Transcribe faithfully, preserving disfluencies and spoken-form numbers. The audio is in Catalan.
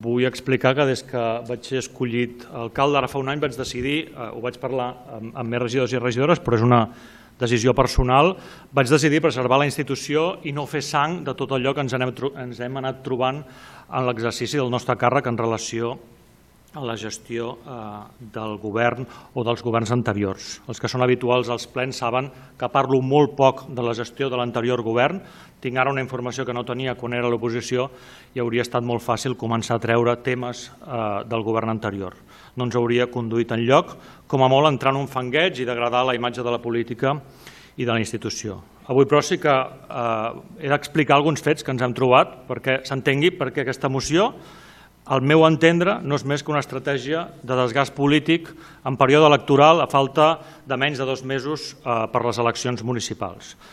Vull explicar que des que vaig ser escollit alcalde, ara fa un any, vaig decidir, ho vaig parlar amb, amb més regidors i regidores, però és una decisió personal, vaig decidir preservar la institució i no fer sang de tot allò que ens hem, ens hem anat trobant en l'exercici del nostre càrrec en relació a la gestió eh, del govern o dels governs anteriors. Els que són habituals als plens saben que parlo molt poc de la gestió de l'anterior govern. Tinc ara una informació que no tenia quan era a l'oposició i hauria estat molt fàcil començar a treure temes eh, del govern anterior. No ens hauria conduït enlloc, com a molt entrar en un fangueig i degradar la imatge de la política i de la institució. Avui, però, sí que eh, he d'explicar alguns fets que ens hem trobat perquè s'entengui perquè aquesta moció, al meu entendre, no és més que una estratègia de desgast polític en període electoral a falta de menys de dos mesos per les eleccions municipals.